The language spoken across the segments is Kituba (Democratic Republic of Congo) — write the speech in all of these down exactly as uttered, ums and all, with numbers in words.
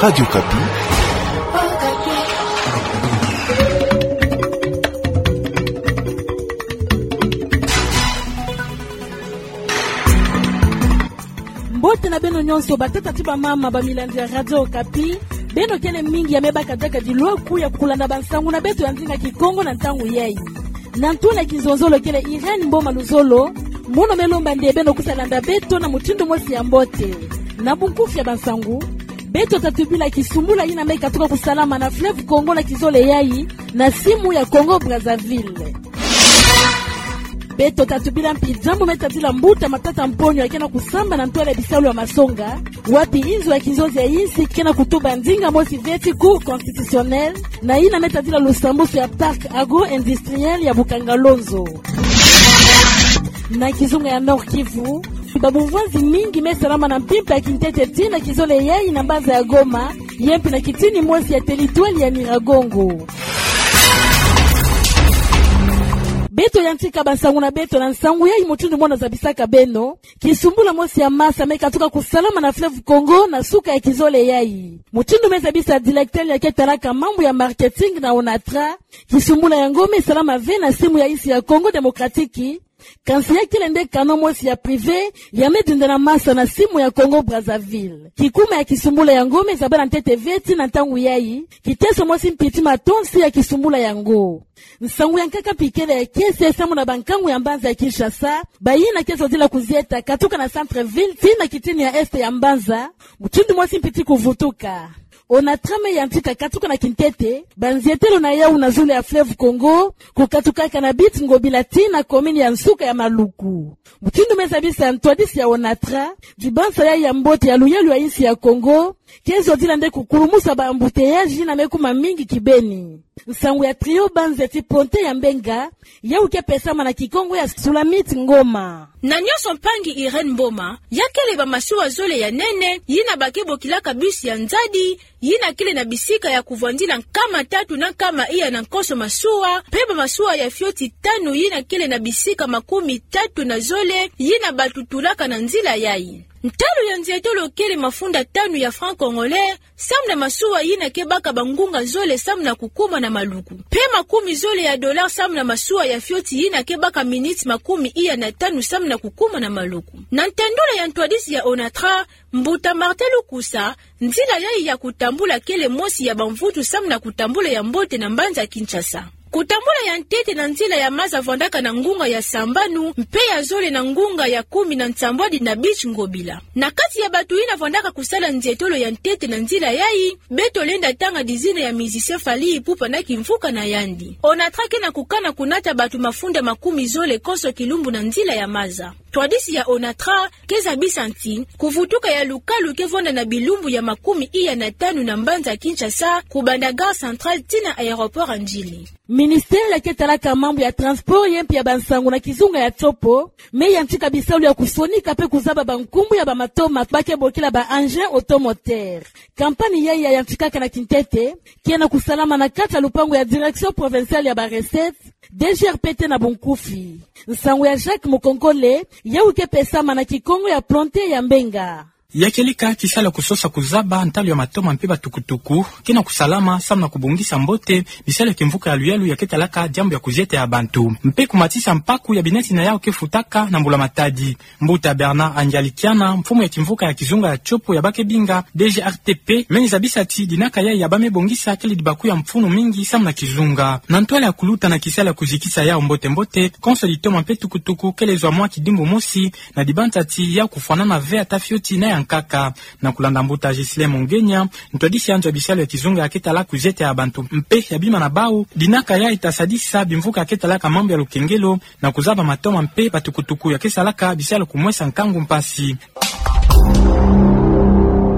Radio Okapi. Mbote na beno nyonso, batata ti bamama, bamilandi ya Radio Okapi. Beno kele mingi ya me baka diaka dilwaku ya kulanda bansangu na beto ya ndinga Kikongo na ntangu yai. Na ntwala ya kizonzolo kele Irène Mboma Luzolo, mono me lomba nde beno kusa landa beto na mutindu mosi ya mbote. Na bunkufi ya bansangu, beto ta tubila kisumbula yina me katuka kusalama na fleuve Congo na kizole yai, na simu ya Congo Brazzaville. Beto ta tubila mpi diambu me tadila mbuta Matata Mponyo ya ke na kusamba na ntwala ya bisalu ya masonga, wapi inzo ya kizonzi ya insi ke na kutuba ndinga mosi ve ti Cour constitutionnelle, na yina me tadila lusambusu ya parc agro-industriel ya Bukangalonzo. Na kizunga ya Nord-Kivu, babumvwanzi mingi me salama na mpimpa ya kintete tii na kizole yai na mbanza ya Goma, ye mpi na kitini mosi ya teritwali ya Nyiragongo. Beto yantika bansangu na beto na nsangu yai mutindu mono zabisaka beno. Kisumbula mosi ya masa me katuka kusalama na fleuve Congo na suka ya kizole yai. Mutindu me zabisa directeur ya ke talaka mambu ya marketing na Onatra, kisumbula yango me salama ve na simu ya insi ya Congo Démocratique, kansi ya kele nde canot mosi ya privé ya me dinda na masa na simu ya Congo Brazzaville. Kikuma ya kisumbula yango me zabana ntete ve tii na ntangu yai, kiteso mosi mpi ti matonsi ya kisumbula yango. Nsangu ya nkaka mpi kele ya kiese samu na bankangu ya mbanza ya Kinshasa, bayina ke zodila kuzieta katuka na centre-ville tii na kitini ya est ya mbanza, mutindu mosi mpi ti kuvutuka. Onatra me yantika katuka na kintete banzietelo na yau na zulu ya fleuve Congo, kukatukaka na Beach Ngobila tii na commune ya nsuka ya Maluku. Mutindu me zabisa ntwadisi ya Onatra, dibansa yai ya mbote ya luyalu ya insi ya Congo ke zodila nde kukulumusa ba embouteillages yina me kuma mingi kibeni. Nsangu ya trio banze ti ponte ya Mbenga, yau ke pesama na Kikongo ya Sulamite Ngoma. Na nyonso mpangi Irène Mboma, ya kele bamasuwa zole ya nene, yina ba ke bokilaka bus ya nzadi, yina kele na bisika ya kuvwandila nkama tatu na nkama iya na nkoso masuwa, mpe bamasuwa ya fioti tanu yina kele na bisika makumi tatu na zole, yina bato tulaka na nzila yai. Ntalu ya nzietolo kele mafunda tanu ya francs congolais, samu na masuwa yina ke baka bangunga zole samu na kukuma na Maluku. Mpe makumi zole ya dollars samu na masuwa ya fioti yina ke baka miniti makumi iya na tanu samu na kukuma na Maluku. Na ntendolo ya ntwadisi ya Onatra, mbuta Martin Lukusa, nzila yai ya kutambula kele mosi ya bamvutu samu na kutambula ya mbote na mbanza Kinshasa. Kutambula ya ntete na nzila ya maza vwandaka na ngunga ya sambanu, mpe ya zole na ngunga ya kumi na nsambwadi na Beach Ngobila. Na kati ya bato yina vwandaka kusala nzietolo ya ntete na nzila yai, beto lenda tanga dizina ya musicien Fally Ipupa na kimvuka na yandi. Onatra ke na kukana kunata bato mafunda makumi zole konso kilumbu na nzila ya maza. Ntwadisi ya Onatra ke zabisa nti, kuvutuka ya lukalu ke vwanda na bilumbu ya makumi iya na tanu na mbanza Kinshasa, kubanda gare centrale tii na aéroport ya Ndjili. Ministère ya ke talaka mambu ya transport ye mpi ya bansangu na kizunga ya Tshopo, me yantika bisalu ya kusonika mpe kuzaba bankumbu ya bamatoma ba ke bokila ba engins automoteurs. Kampani yai ya yantikaka na kintete, ke na kusalama na kati ya lupangu ya Direction Provinciale ya ba Recettes, D G R P T na bunkufi. Nsangu ya Jacques Mukonkole, yau ke pesama na Kikongo ya Plante ya Mbenga. Ya kieleka kisalu ya kusosa kuzaba ntalu ya matoma mpe batukutuku, ke na kusalama samu na kubongisa mbote bisalu ya kimvuka ya luyalu ya ke talaka diambu ya kuzieta ya bantu, mpe kumatisa mpaku ya bineti na yau ke futaka na mbula matadi. Mbuta Bernard Angialikiana, mfumu ya kimvuka ya kizunga ya Tshopo ya ba ke binga D G R T P, meni zabisa ti dinaka yai ya ba me bongisa kele dibaku ya mfunu mingi samu na kizunga. Na ntwala ya kuluta na kisalu ya kuzikisa yau mbote-mbote, konso ditoma mpe tukutuku kele zwa mwa kidimbu mosi na dibanza ti yau kufwanana ve ata fioti na ya nkaka. Na kulanda mbuta Ghislain Mongenia, ntwadisi ya nzo ya bisalu ya kizunga ya ke talaka kuzieta ya bantu mpe ya bima na bau, dinaka yai ta sadisa bimvuka ya ke talaka mambu ya lukengelo, na kuzaba matoma mpe batukutuku ya ke salaka bisalu kumwesa nkangu mpasi.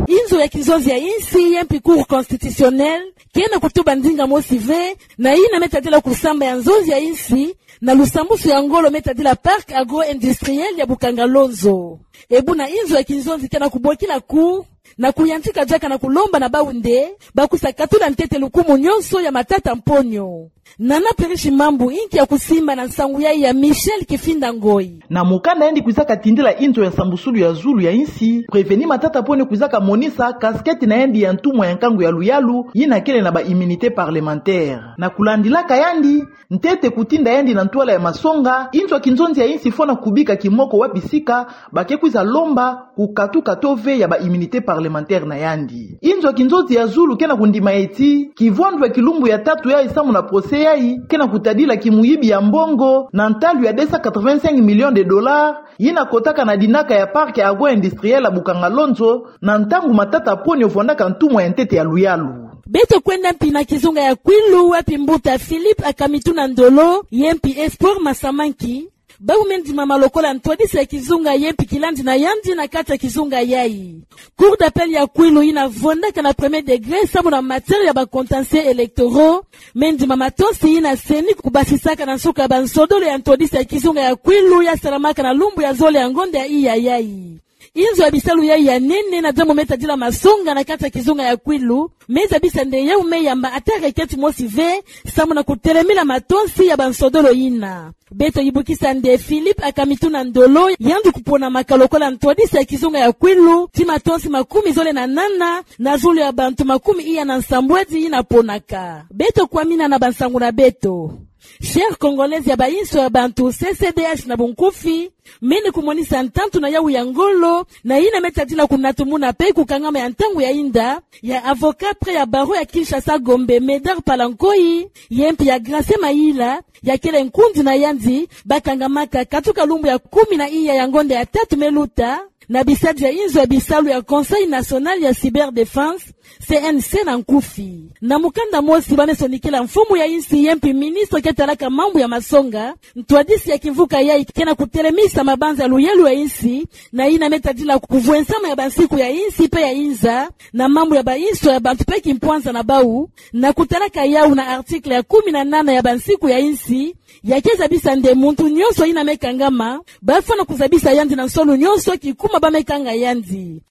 Inzo ya kizonzi ya insi ye mpi Cour constitutionnelle, ke na kutuba ndinga mosi ve na yina me tadila kusamba ya nzonzi ya insi, na lusambusu ya ngolo me tadila Parc agro-industriel ya Bukangalonzo. E buna inzo ya kizonzi ke na kubokila Cour, Na kuyantika diaka na kulomba na bau nde bakwisa katula ntete lukumu nyonso ya matata mponyo. Nana Pirishi Mambu inki ya kusimba na nsangu yayi ya Michel Kifinda Ngoyi. Na mukanda yandi kwizaka tindila inzo ya sambusulu ya zulu ya insi, Prévenu Matata Ponyo kwizaka monisa casquette na yandi ya ntumwa ya nkangu ya luyalu, yina kele na ba immunité parlementaire. Na kulandilaka yandi, ntete kutinda yandi na ntwala ya masonga, inzo ya kinzonzi ya insi fwana kubika kimoko wapi sika, ba ke kwiza lomba kukatuka taux ve ya ba immunité parlementaire na yandi. Inzo ya kinzonzi ya zulu ke na kundima eti, kivwandu ya kilumbu ya tatu yayi samu na procès yayi, ke na kutadila kimuyibi ya mbongo, na ntalu ya deux cent quatre-vingt-cinq millions de dollars, yina kotaka na dinaka ya parc agro-industriel ya Bukangalonzo, na ntangu Matata Ponyo vwandaka ntumwa ya ntete ya luyalu. Beto kwenda mpi na kizunga ya Kwilu, wapi mbuta Philippe Akamituna Ndolo, ye mpi Espoir Masamanki, bau me ndimama lokola ntwadisi ya kizunga ye mpi kilandi na yandi na kati ya kizunga yayi. Cour d'appel ya Kwilu yina vwandaka na premier degré samu na matière ya ba contentieux électoraux, me ndimama tosi yina CENI kubasisaka na nsuka ya ba nsodolo ya ntwadisi ya kizunga ya Kwilu ya salamaka na lumbu ya zole ya ngonda ya iya yayi. Inzo ya bisalu yayi ya nene na diambu me tadila masonga na kati ya kizunga ya Kwilu, me zabisa nde yau me yamba ata requête mosi ve, samu na kutelemila matonsi ya ba nsodolo yina. Beto yibukisa nde Philippe Akamituna Ndolo, yandi kuponamaka lokola ntwadisi ya kizunga ya Kwilu, ti matonsi makumi zole na nana, na zulu ya bantu makumi iya na nsambwadi yina ponaka. Beto kwamina na ba nsangu na beto. Chaire congolaise ya ba inso ya bantu, C C D H na bunkufi, mene kumonisa ntantu na yau ya ngolo, na yina me tadila kunatumuna pe kukangama ya ntangu ya inda, ya avocat près ya barreau ya Kinshasa Gombe, Médard Palankoyi, ye mpi ya Gracien Mayila, ya kele nkundi na yandi, ba kangamaka katuka lumbu ya kumi na iya ya ngonda ya tatu me luta, na bisadi ya inzo ya bisalu ya Conseil National ya Cyberdéfense, C N C na nkufi. Na mukanda mosi ba me sonikila mfumu ya insi ye mpi ministre ke talaka mambu ya masonga, ntwadisi ya kimvuka yayi ke na kutelemisa mabanza ya luyalu ya insi, na yina me tadila kuvwensama ya ba nsiku ya insi pe ya inza, na mambu ya ba inso ya bantu pe kimpwanza na bau, na kutalaka yau na article ya kumi na nana ya ba nsiku ya insi, ya ke zabisa nde muntu nyonso yina me kangama, ba fwana kuzabisa yandi na nsonu nyonso kikuma ba me kanga yandi.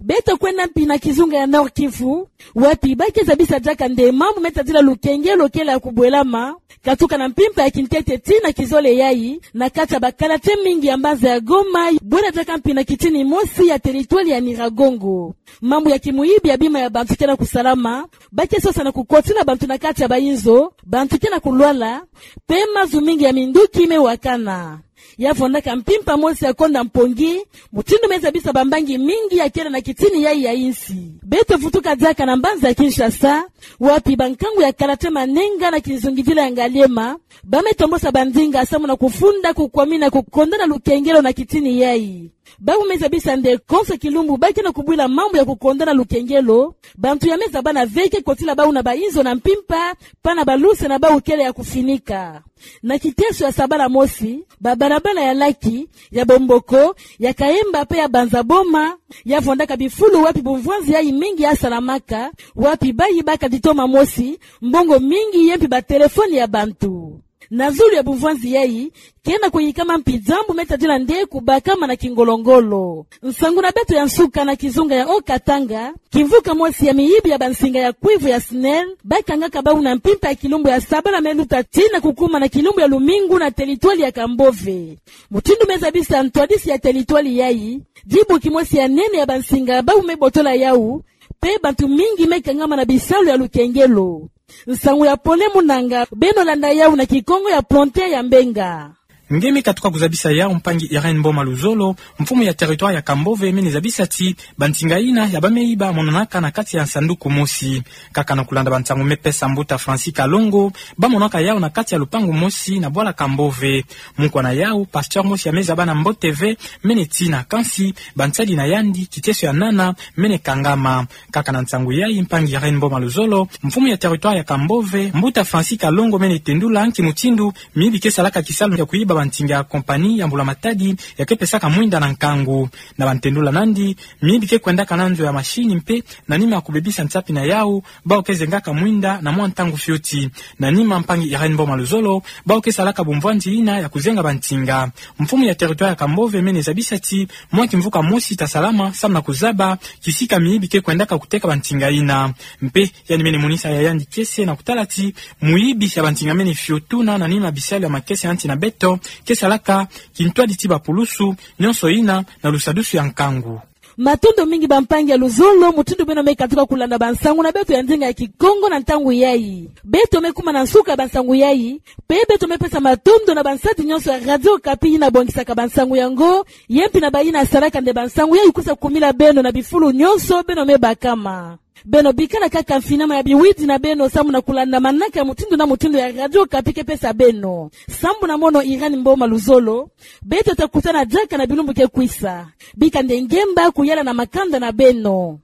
Beto kwenda mpi na kizunga ya Nord-Kivu, wapi ba ke zabisa diaka nde mambu me tadila lukengelo kele ya kubwelama, katuka na mpimpa ya kintete tii na kizole yayi, na kati ya ba quartier mingi ya mbanza ya Goma, bwela diaka mpi na kitini mosi ya territoire ya Nyiragongo. Mambu ya kimuyibi ya bima ya bantu ke na kusalama, ba ke sosa na kukotila bantu na kati ya ba inzo, bantu ke na kulwala, pe mazu mingi ya minduki me wakana. Ya vwandaka mpimpa mosi ya konda mpongi, mutindu me zabisa bambangi mingi ya kele na kitini yayi ya insi. Beto vutuka diaka na mbanza ya Kinshasa, wapi bankangu ya quartier Manenga na kizungidila ya Ngaliema, ba me tombosa bandinga samu na kufunda kukwamina kukondana lukengelo na kitini yayi. Bau me zabisa nde konso kilumbu ba ke na kubwila mambu ya kukondana lukengelo, bantu ya me zabana ve ke kotila bau na ba inzo na mpimpa, pana ba luse na bau kele ya kufinika. Na kiteso ya sabala mosi, ba balabala ya Laki, ya Bomboko, ya Kaemba pe ya Banza Boma, ya vwandaka bifulu wapi bumvwanzi yayi mingi ya salamaka, wapi ba yibaka ditoma mosi, mbongo mingi ye mpi ba telefoni ya bantu. Na zulu ya bumvwanzi yayi, ke na kuyikama mpi diambu me tadila nde kubakama na kingolo-ngolo. Nsangu na beto ya nsuka na kizunga ya Haut-Katanga, kimvuka mosi ya miyibi ya bansinga ya cuivre ya SNEL, ba kangaka bau na mpimpa ya kilumbu ya sabala me luta tii na kukuma na kilumbu ya lumingu na territoire ya Kambove. Mutindu me zabisa ntwadisi ya territoire yayi, dibu kimosi ya nene ya bansinga bau me botola yau, pe bantu mingi me kangama na bisalu ya lukengelo. Nsangu ya pole mu nanga, beno landa yau na Kikongo ya Ponte ya Mbenga. Nge me katuka kuzabisa yau, mpangi Irène Mboma Luzolo, mfumu ya territoire ya Kambove, mene zabisa ti bansinga yina ya ba me yiba monanaka na kati ya nsanduku mosi. Kaka na kulanda bansangu me pesa mbuta Francis Kalongo, ba monaka yau na kati ya lupangu mosi na bwala Kambove. Mukwa na yau, pasteur mosi ya me zaba na mbote ve, mene tina, kansi bansadi na yandi, kiteso ya nana, mene kangama. Kaka na nsangu yayi, mpangi Irène Mboma Luzolo, mfumu ya territoire ya Kambove, mbuta Francis Kalongo, mene tendula nki mutindu miyibi ke salaka kisalu ya kuyiba bantinga ya compagnie ya mbula-matadi ya ke pesaka mwinda na nkangu. Na bantendula nandi, miyibi ke kwendaka na nzo ya machine mpe na nima ya kubebisa nsapi na yau, bau ke zengaka mwinda na mwa ntangu fioti. Na nima, mpangi Irène Mboma Luzolo, bau ke salaka bumvwandi yina ya kuzenga bantinga. Mfumu ya territoire ya Kambove mene zabisa ti mwa kimvuka mosi ta salama samu na kuzaba kisika miyibi ke kwendaka kuteka bantinga yina. Mpe yandi mene monisa ya yandi kiese na kutala ti muyibi ya bantinga mene fiotuna na nima bisalu ya makese ya nsi na beto ke salaka kintwadi ti bapulusu, nyonso yina na lusadusu ya nkangu. Matondo mingi bampangi ya luzolo, mutindu beno me katuka kulanda bansangu na beto ya ndinga ya Kikongo na ntangu yayi. Beto me kuma na nsuka ya bansangu yayi, mpe beto me pesa matondo na bansadi nyonso ya Radio Okapi yina bongisaka bansangu yango, ye mpi na bayina salaka nde bansangu yayi kwisa kumila beno na bifulu nyonso beno me bakama. Beno bikala kaka mfinama ya biwidi na beno samu na kulanda manaka ya mutindu na mutindu ya Radio Okapi ke pesa beno. Sambu na mono Irène Mboma Luzolo, beto ta kutana diaka na bilumbu ke kwisa. Bika nde ngemba kuyala na makanda na beno.